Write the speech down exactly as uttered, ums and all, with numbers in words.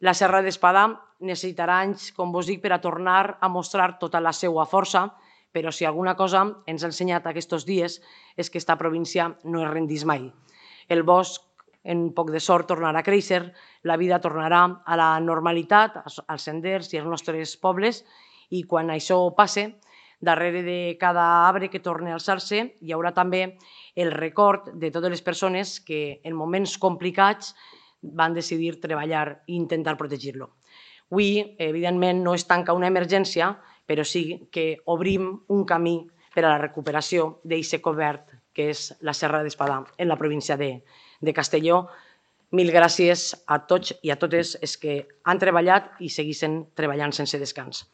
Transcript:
La Serra d'Espadà necessitarà anys, com vos dic, per a tornar a mostrar tota la seva força, però si alguna cosa ens ha ensenyat aquests dies és que aquesta província no es rendís mai. El bosc, en poc de sort, tornarà a créixer, la vida tornarà a la normalitat, als senders i als nostres pobles, i quan això passe, darrere de cada arbre que torni a alçar-se hi haurà també el record de totes les persones que en moments complicats van decidir treballar i intentar protegir-lo. Avui, evidentment, no es tanca una emergència, però sí que obrim un camí per a la recuperació d'aquest cobert que és la Serra d'Espadà en la província de, de Castelló. Mil gràcies a tots i a totes els que han treballat i segueixen treballant sense descans.